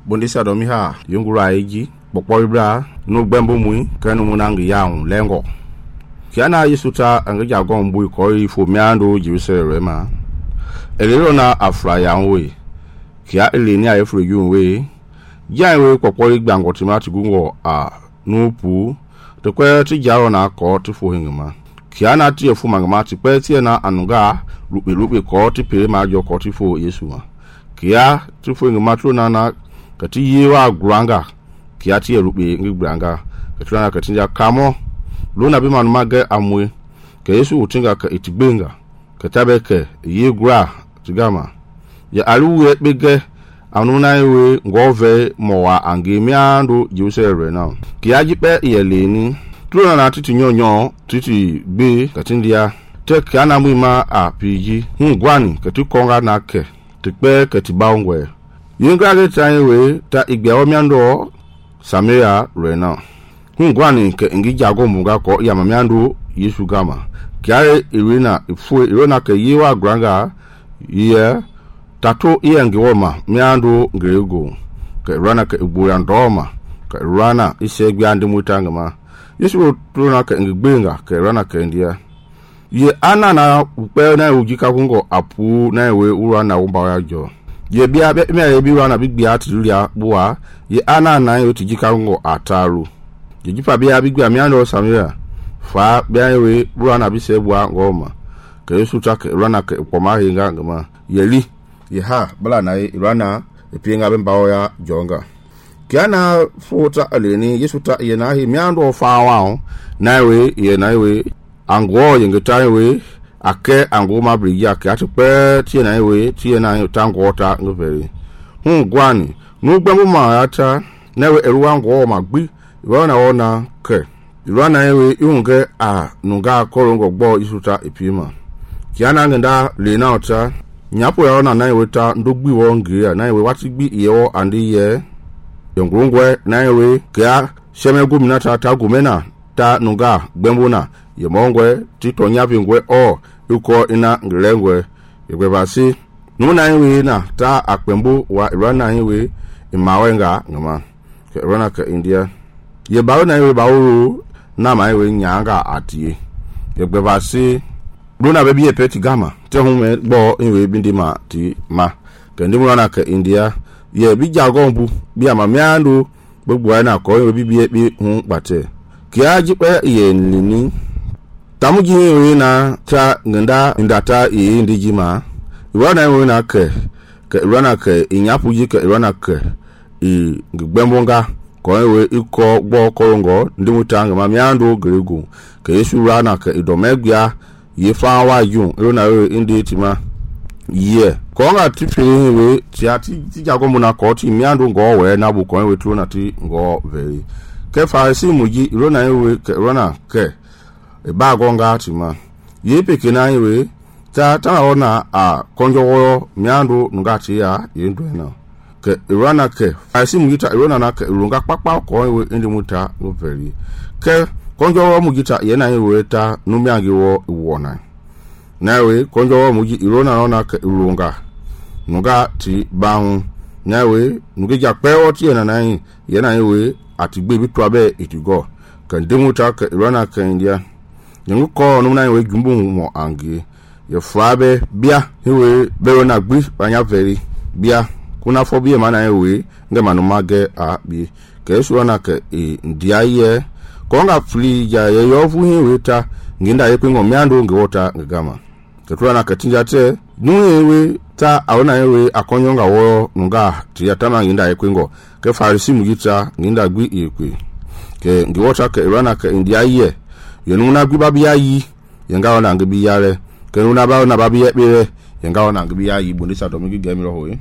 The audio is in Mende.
bondisa domi ha yungura eji bokpoibra no gbembo mui kanu munangi yaun lengo kiana Yesuta angeja gombu ko ifo miando Jerusalem elero na afra yaunwe kia eleni ayefro yunwe janwe kokpoi gbango timati gungo a nupu to kwe ti jaro na ko ti fo hingama kiana ti efu mangama ti pe ti na anuga rupe ko ti pere ma jo ko ti fo Yesu ma kia ti fo hingama tro na kati yewa granga kia ti rupe ngi granga katuna kati ja kamo lona bi man mage amwe ke Yesu utinga ka itigbenga katabeke yegra tigama ya aluwe bege anuna ewe ngove mowa angemiando Jerusalem na kiaji pe yeleni tlona na titi nyonyo titi be katindia te kana muima apiji ngwani kati konga na ke tikpe kati baungwe yenga ge tanwe ta igbewo miando Samaria rena ngwani ke ngi jago munga ko ya mamiando Yesu gama kiare irena ke yewa granga ye tato iyangi woma miando ngerego ke rana ke igboya ndoma ke rana isegbi andi mutanga ma Yesu trona ke ngbenga ke rana ke ndia ye ana na upe na ujika kungo apu na we urana umba ya jo ye bia me bi rana bigbia atiria buwa ye ana na yo tijika kungo ataru ye jipa bia bigbia miando Samaria fa bia we urana bisebwa ngoma ke Yesu ta ke rana ke poma hinga ngama yeli yeha bala na irana epienga bembawo ya jonga kiana fota aleni Yesu ta yena hi miando fawa nawe yenawe ango yengetawe ake ango mabriya ke atpe tienawe tiena tangota ngveri gwani no gbemu ma ata nawe eruwa ngo magbi iwana ona ke irana ewe yunge a nunga korongo gbo Yesu ta epima kiana ngenda lena ota nyapo ya na nawe ta ndogbi wonge ya nawe watigbi iyo andi ye yongungwe nawe kya sheme gumina ta gumena ta nunga gbembuna ye mongwe tito nyapingwe o uko ina ngilengwe yegbebasi nuna nawe na ta akpembu wa irana nawe imawenga ngama ke irana ka India ye bawo nawe bawo na mawe nyanga atie yegbebasi Bruna bebi epeti gama te hume bo inwe bindima ti ma kendimu na ka India ye bi jagombu bi amamiando gbogbo na ko inwe bibi bi hun pate kiaji pe ye nini tamuji we na ta ngenda indata ye ndijima iwana we na ke irana ke inyapuji ke irana ke ngbembonga ko inwe iko gbo korongo ndimutanga mamiando gregu ke Yesu rana ke idomegya ye fa wa yun ero na indi tima ye ko nga tipiri we ti jago muna ko ti miando ngo we na bu ko we tru na ti ngo veri ke fa si muji ero na we ke rona ke e ba go nga tima ye peke na we ta ona a konjo wo miando nga ti ya ye ndo na ke rona ke fa si muji ta ero na ke runga papa ko we indi muta go veri ke konjo wo mugita yena yewe ta numiangi wo wona nawe konjo wo mugi irona na ka irunga nuga ti bahu nawe nugija pewo ti yena yewe atigbe bitwa be itigo kan demuta ka irona ka India ngu ko numna yewe jumbu mo angi ye frabe bia yewe bewo na gbi banya veri bia kuna fobie mana yewe ngema no mage a bi ka Yesu na ka ndia ye konga fli ya yovu hiweta nginda yepingo miando ngewota ngama ketula na katinja te nuyewe ta aona yewe akonyonga wo nunga tiya tama nginda yepingo ke farisi mugita nginda gwi yekwe ke ngewota ke irana ke India ye yenuna gwi babia yi yenga ona ngibi yale ke nuna ba ona babia bere yenga ona ngibi yi bondisa domigi gemiro hoye